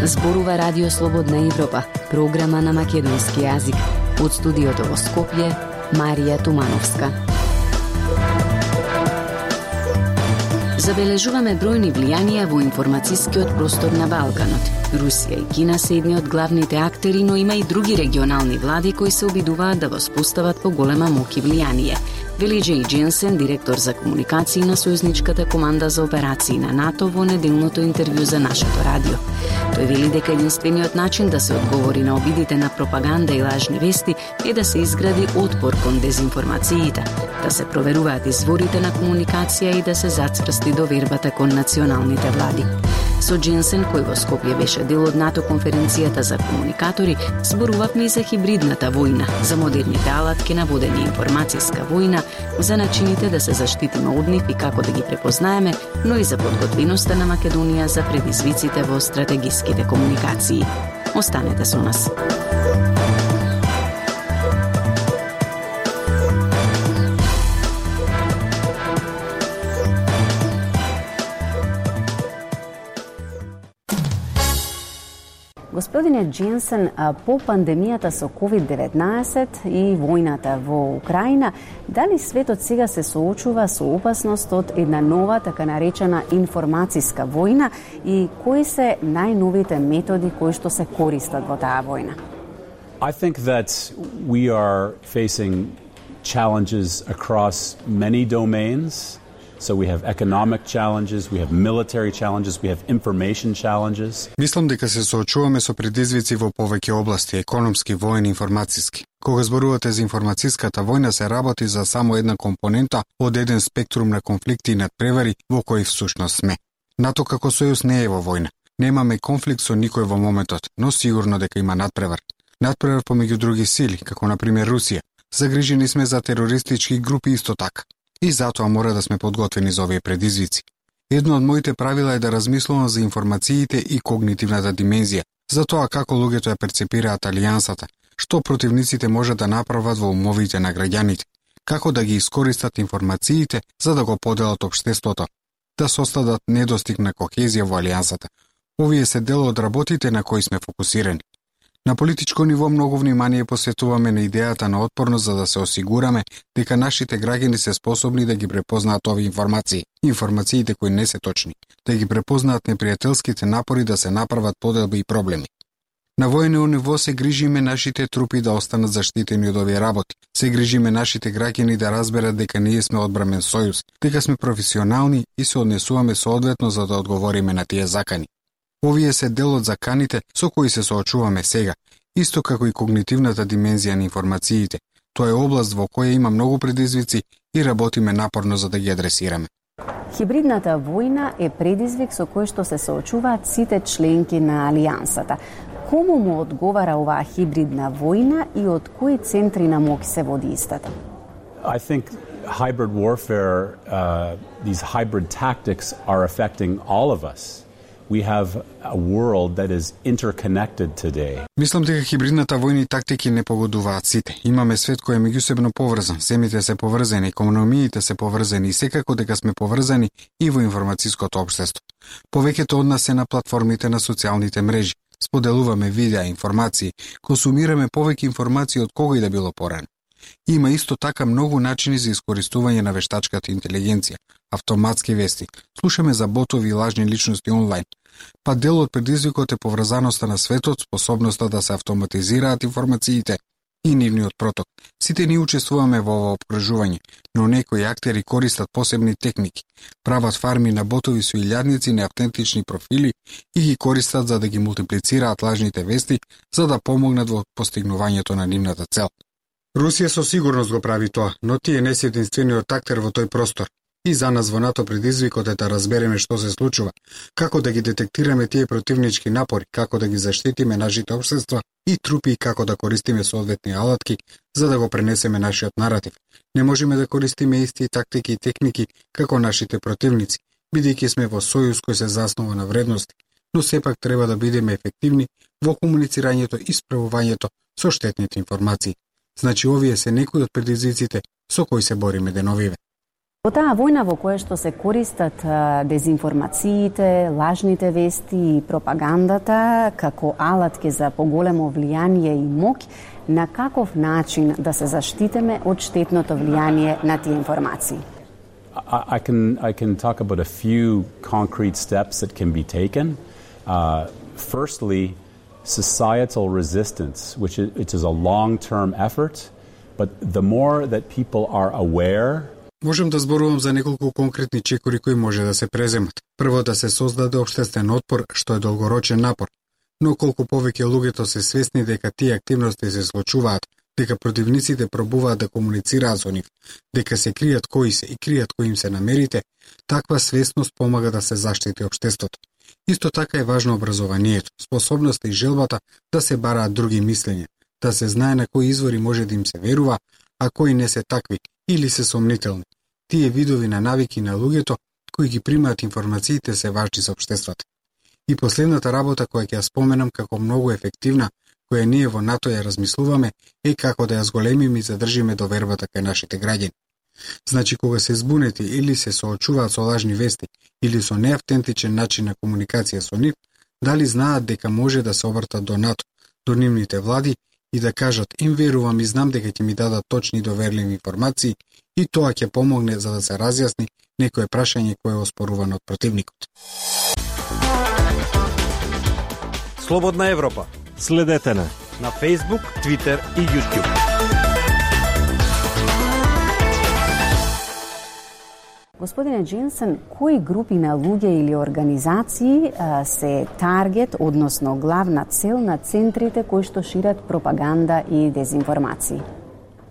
Зборува Радио Слободна Европа, програма на македонски јазик. Од студиото во Скопје, Марија Тумановска. Забележуваме бројни влијанија во информацијскиот простор на Балканот. Русија и Кина се едни од главните актери, но има и други регионални влади кои се обидуваат да воспостават поголема моќ и влијание. Вели Джей Дженсен, директор за комуникации на Сојузничката команда за операции на НАТО, во неделното интервју за нашето радио. Тој вели дека единствениот начин да се одговори на обидите на пропаганда и лажни вести е да се изгради отпор кон дезинформациите, да се проверуваат изворите на комуникација и да се зацврсти довербата кон националните влади. Со Дженсен, кој во Скопје беше дел од НАТО конференцијата за комуникатори, зборувавме и за хибридната војна, за модерните алатки на водење информацијска војна, за начините да се заштитиме од нив и како да ги препознаеме, но и за подготвеноста на Македонија за предизвиците во стратегиските комуникации. Останете со нас. Господине Дженсен, по пандемијата со COVID-19 и војната во Украина, дали светот сега се соочува со опасност од една нова, така наречена информацијска војна и кои се најновите методи кои што се користат во таа војна? I think that we are facing challenges across many domains. So we have economic challenges, we have military challenges, we have information challenges. Мислам дека се соочуваме со предизвици во повеќе области, економски, воен, информацијски. Кога зборувате за информацијската војна, се работи за само една компонента од еден спектрум на конфликти и надпревари во кои всушност сме. НАТО како сојуз не е во војна. Немаме конфликт со никој во моментот, но сигурно дека има надпревар. Надпревар помеѓу други сили, како на пример Русија. Загрижени сме за терористички групи исто така. И затоа мора да сме подготвени за овие предизвици. Едно од моите правила е да размислувам за информациите и когнитивната димензија, за тоа како луѓето ја перцепираат алијансата, што противниците може да направат во умовите на граѓаните, како да ги искористат информациите за да го поделат општеството, да создадат недостиг на кохезија во алијансата. Овие се дел од работите на кои сме фокусирани. На политичко ниво многу внимание посветуваме на идејата на отпорност за да се осигураме дека нашите граѓани се способни да ги препознаат овие информации, информациите кои не се точни, да ги препознаат непријателските напори да се направат поделби и проблеми. На воено ниво се грижиме нашите трупи да останат заштитени од овие работи, се грижиме нашите граѓани да разберат дека ние сме одбрамен сојуз, дека сме професионални и се однесуваме соодветно за да одговориме на тие закани. Овие се дел од заканите со кои се соочуваме сега, исто како и когнитивната димензија на информациите. Тоа е област во која има многу предизвици и работиме напорно за да ги адресираме. Хибридната војна е предизвик со кој што се соочуваат сите членки на алијансата. Кому му одговара оваа хибридна војна и од кои центри на моќ се води истата? I think hybrid warfare, these hybrid tactics are affecting all of us. We have a world that is interconnected today. Мислам дека хибридната војна и тактики не погодуваат сите. Имаме свет кој е меѓусебно поврзан, земите се поврзани, економиите се поврзани и секако дека сме поврзани и во информацијското општество. Повеќето од нас се на платформите на социјалните мрежи. Споделуваме видеа, информации, консумираме повеќе информации од кога и да било порано. Има исто така многу начини за искористување на вештачката интелигенција, автоматски вести, слушаме за ботови и лажни личности онлайн. Па дел од предизвикот е поврзаноста на светот, способноста да се автоматизираат информациите и нивниот проток. Сите ние учествуваме во ова обкружување, но некои актери користат посебни техники, прават фарми на ботови со илјадници неавтентични профили и ги користат за да ги мултиплицираат лажните вести, за да помогнат во постигнувањето на нивната цел. Русија со сигурност го прави тоа, но тие не се единствениот актер во тој простор. И за нас во НАТО предизвикот е да разбереме што се случува, како да ги детектираме тие противнички напори, како да ги заштитиме нашите општества и трупи и како да користиме соодветни алатки за да го пренесеме нашиот наратив. Не можеме да користиме исти тактики и техники како нашите противници, бидејќи сме во сојуз кој се заснова на вредности, но сепак треба да бидеме ефективни во комуницирањето и справувањето со штетните информации. Значи, овие се некои од предизвиците со кои се бориме деновиве. Во таа војна во која што се користат дезинформациите, лажните вести и пропагандата како алатки за поголемо влијание и моќ, на каков начин да се заштитиме од штетното влијание на тие информации? I can talk about a few concrete steps that can be taken. Firstly, societal resistance, which is a long-term effort, but the more that people are aware. Можем да зборувам за неколку конкретни чекори кои може да се преземат. Прво, да се создаде општествен отпор, што е долгорочен напор. Но колку повеќе луѓето се свесни дека тие активности се случуваат, дека противниците пробуваат да комуницираат со нив, дека се кријат кои се и кријат кои им се намерите, таква свесност помага да се заштити општеството. Исто така е важно образованието, способноста и желбата да се бараат други мислења, да се знае на кои извори може да им се верува, а кои не се такви или се сомнителни. Тие видови на навики на луѓето кои ги примаат информациите се важни за општеството. И последната работа која ќе ја споменам како многу ефективна, која ние во НАТО ја размислуваме, е како да ја зголемиме и задржиме довербата кај нашите граѓани. Значи, кога се збунети или се соочуваат со лажни вести или со неавтентичен начин на комуникација со нив, дали знаат дека може да се обртат до НАТО, до нивните влади и да кажат им верувам и знам дека ќе ми дадат точни и доверливи информации и тоа ќе помогне за да се разјасни некое прашање кое е оспорувано од противникот. Слободна Европа. Следете на Facebook, Twitter и YouTube. Господине Дженсен, кои групи на луѓе или организации се таргет, односно главна цел на центрите кои што шират пропаганда и дезинформации?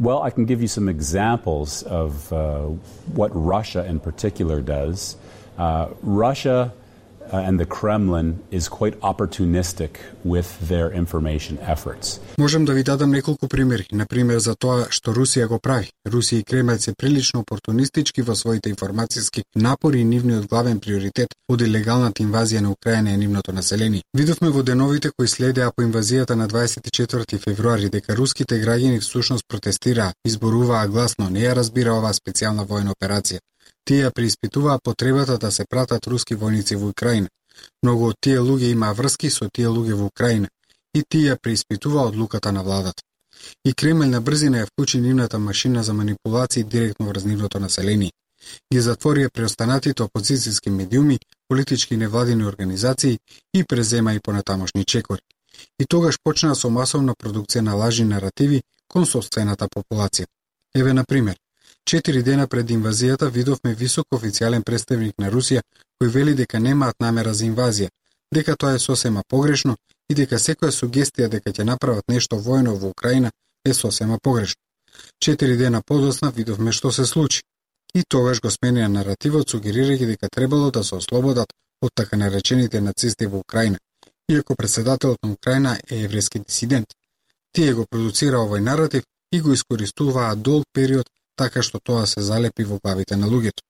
Well, I can give you some examples of what Russia in particular does. Russia and the Kremlin is quite opportunistic with their information efforts. Можем да ви дадам неколку примери, например за тоа што Русија го прави. Русија и Кремљ се прилично опортунистички во своите информацијски напори и нивниот главен приоритет од илегалната инвазија на Украина и нивното население. Видовме во деновите кои следеа по инвазијата на 24 февруари дека руските граѓани всушност протестираа, изборуваа гласно, не ја разбира оваа специјална војна операција. Тие ја преиспитуваа потребата да се пратат руски војници во Украина. Многу од тие луѓе имаа врски со тие луѓе во Украина и тие ја преиспитуваа одлуката на владата. И Кремљ на брзина ја вклучи нивната машина за манипулации директно врз нивното население. Ги затворија преостанатите опозицијски медиуми, политички невладини организации и презема и понатамошни чекори. И тогаш почнаа со масовна продукција на лажни наративи кон сопствената популација. Еве на пример, 4 дена пред инвазијата видовме висок официјален представник на Русија кој вели дека немаат намера за инвазија, дека тоа е сосема погрешно и дека секоја сугестија дека ќе направат нешто војно во Украина е сосема погрешно. 4 дена подоцна видовме што се случи. И тогаш го сменија наративот сугерирајќи дека требало да се ослободат од така наречените нацисти во Украина, иако председателот на Украина е еврејски дисидент. Тие го продуцира овој наратив и го искористуваа долг период така што тоа се залепи во главите на луѓето.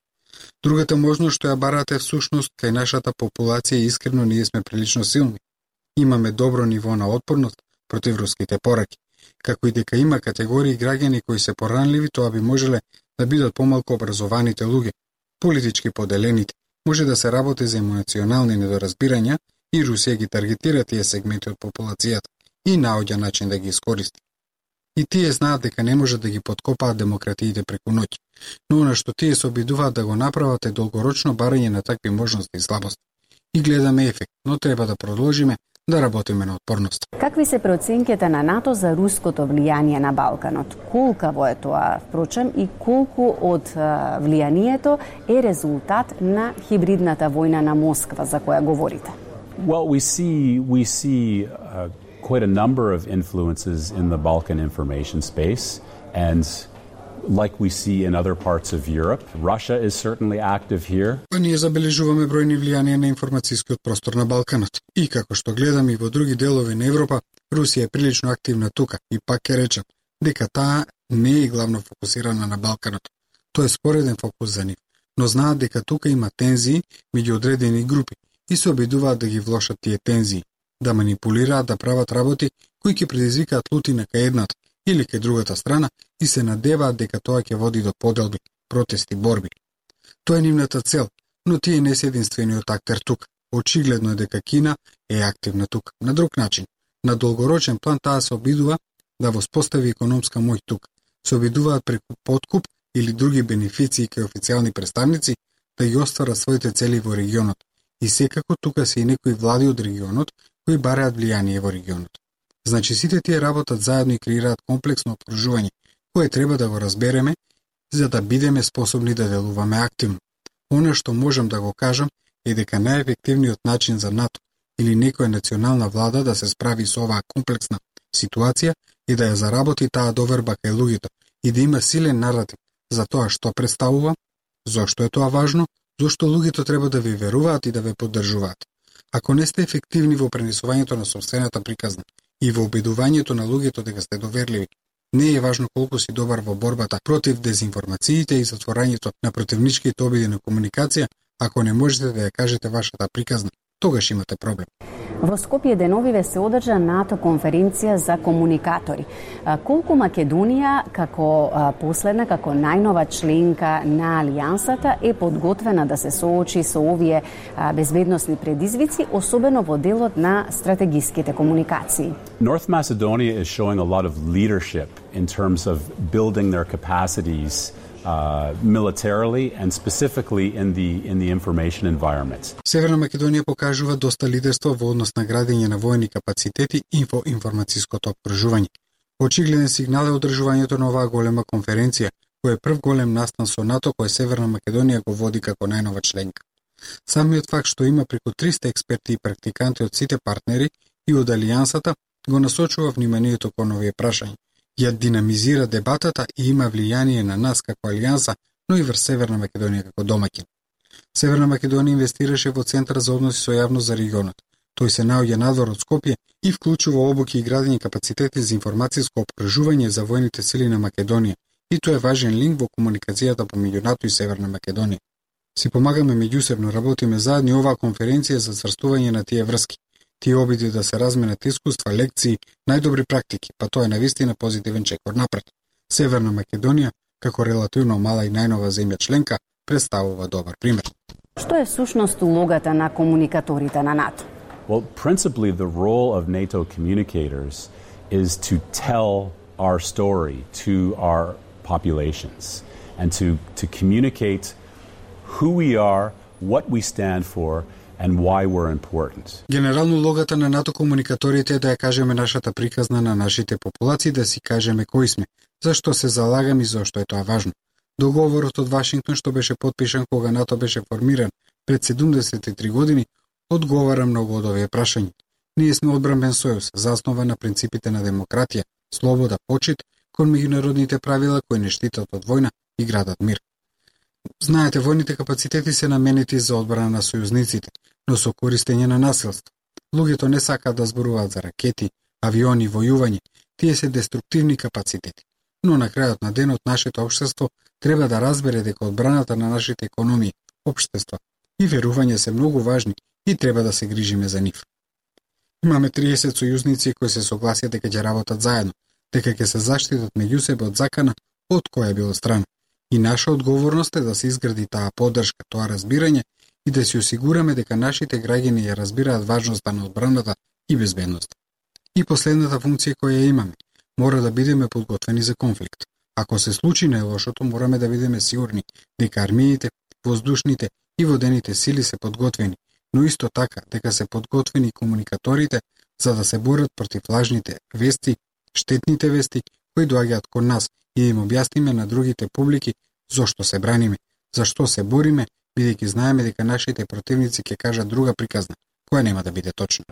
Другата можност што ја барате всушност кај нашата популација и искрено ние сме прилично силни. Имаме добро ниво на отпорност против руските пораки. Како и дека има категории граѓани кои се поранливи, тоа би можеле да бидат помалку образованите луѓе, политички поделените. Може да се работи за емоционални недоразбирања и Русија ги таргетира тие сегменти од популацијата и наоѓа начин да ги искористи. И тие знаат дека не може да ги подкопаат демократиите преку ноќ, но она што тие се обидуваат да го направат е долгорочно барање на такви можности и слабости. И гледаме ефект, но треба да продолжиме да работиме на отпорност. Какви се проценките на НАТО за руското влијание на Балканот? Колкаво е тоа, впрочем, и колку од влијанието е резултат на хибридната војна на Москва за која говорите? Well, we see quite a number of influences in the Balkan information space, and like we see in other parts of Europe, Russia is certainly active here. Ние забележуваме бројни влијанија на информацијскиот простор на Балканот. И како што гледаме и во други делови на Европа, Русија е прилично активна тука и пак ќе речам дека таа не е главно фокусирана на Балканот. Тоа е спореден фокус за нив, но знаат дека тука има тензии меѓу одредени групи и се обидуваат да ги влошат тие тензии, да манипулираат, да прават работи кои ќе предизвикаат лутина кај едната или кај другата страна и се надеваат дека тоа ќе води до поделби, протести, борби. Тоа е нивната цел, но тие не се единствениот актер тука. Очигледно е дека Кина е активна тука. На друг начин, на долгорочен план таа се обидува да воспостави економска моќ тука. Се обидуваат преку подкуп или други бенефиции кај официјални представници да ги остварат своите цели во регионот. И секако тука се и некои влади од регионот кои бараат влијание во регионот. Значи сите тие работат заедно и креираат комплексно окружување, кое треба да го разбереме за да бидеме способни да делуваме активно. Она што можам да го кажам е дека најефективниот начин за НАТО или некоја национална влада да се справи со оваа комплексна ситуација е да ја заработи таа доверба кај луѓето и да има силен наратив за тоа што представува, зошто е тоа важно, зошто луѓето треба да ви веруваат и да ве поддржуваат. Ако не сте ефективни во пренесувањето на сопствената приказна и во убедувањето на луѓето дека сте доверливи, не е важно колку си добар во борбата против дезинформациите и затворањето на противничките обиди на комуникација, ако не можете да ја кажете вашата приказна, тогаш имате проблем. Во Скопје деновиве се одржа НАТО конференција за комуникатори. Колку Македонија како последна, како најнова членка на Алијансата е подготвена да се соочи со овие безбедносни предизвици, особено во делот на стратегиските комуникации? North Macedonia is showing a lot of leadership in terms of building their capacities militarily and specifically in the information environment. Северна Македонија покажува доста лидерство во однос на градење на воени капацитети и информацијското окружување. Очигледен сигнал е одржувањето на оваа голема конференција, кој е прв голем настан со НАТО кој Северна Македонија го води како најнова членка. Самиот факт што има преку 300 експерти и практиканти од сите партнери и од Алијансата го насочува вниманието кон овие прашања. Ја динамизира дебатата и има влијание на нас како Алијанса, но и врз Северна Македонија како домаќин. Северна Македонија инвестираше во Центар за односи со јавност за регионот. Тој се наоѓа надвор од Скопје и вклучува обуки и градење капацитети за информацијско опржување за воените сили на Македонија, и тоа е важен линк во комуникацијата помеѓу НАТО и Северна Македонија. Си помагаме меѓусебно, работиме заедно и оваа конференција за цврстување на тие врски. Тие обиди да се разменат искуства, лекции, најдобри практики, па тоа е навистина позитивен чекор напред. Северна Македонија, како релативно мала и најнова земја членка, представува добар пример. Што е всушност улогата на комуникаторите на НАТО? Well, principally the role of NATO communicators is to tell our story to our populations and to communicate who we are, what we stand for, and why we're important. Генерално улогата на НАТО комуникаторите е да ја кажеме нашата приказна на нашите популации, да си кажеме кои сме, зашто се залагаме и зашто е тоа важно. Договорот од Вашингтон што беше потпишан кога НАТО беше формиран пред 73 години одговара многу од овие прашања. Ние сме одбранбен сојуз, заснова на принципите на демократија, слобода, почит кон меѓународните правила кои не штитат од војна и градат мир. Знаете, војните капацитети се наменети за одбрана на сојузниците, но со користење на насилство. Луѓето не сакаат да зборуваат за ракети, авиони, војување, тие се деструктивни капацитети. Но на крајот на денот нашето општество треба да разбере дека одбраната на нашите економии, општества и верување се многу важни и треба да се грижиме за нив. Имаме 30 сојузници кои се согласија дека ќе работат заедно, дека ќе се заштитат меѓу себе од закана од која било страна. И наша одговорност е да се изгради таа поддршка, тоа разбирање и да се осигураме дека нашите граѓани ја разбираат важноста на одбраната и безбедноста. И последната функција која имаме, мора да бидеме подготвени за конфликт. Ако се случи најлошото, мораме да бидеме сигурни дека армиите, воздушните и водените сили се подготвени, но исто така дека се подготвени комуникаторите за да се борат против лажните вести, штетните вести кои доаѓаат кон нас и да им објасниме на другите публики зошто се браниме, зашто се бориме, бидејќи знаеме дека нашите противници ќе кажат друга приказна, која нема да биде точна.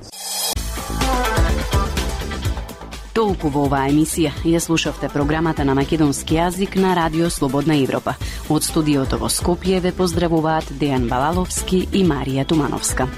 Толку во оваа емисија. Ја слушавте програмата на македонски јазик на Радио Слободна Европа. Од студиото во Скопје ве поздравуваат Дејан Балаловски и Марија Тумановска.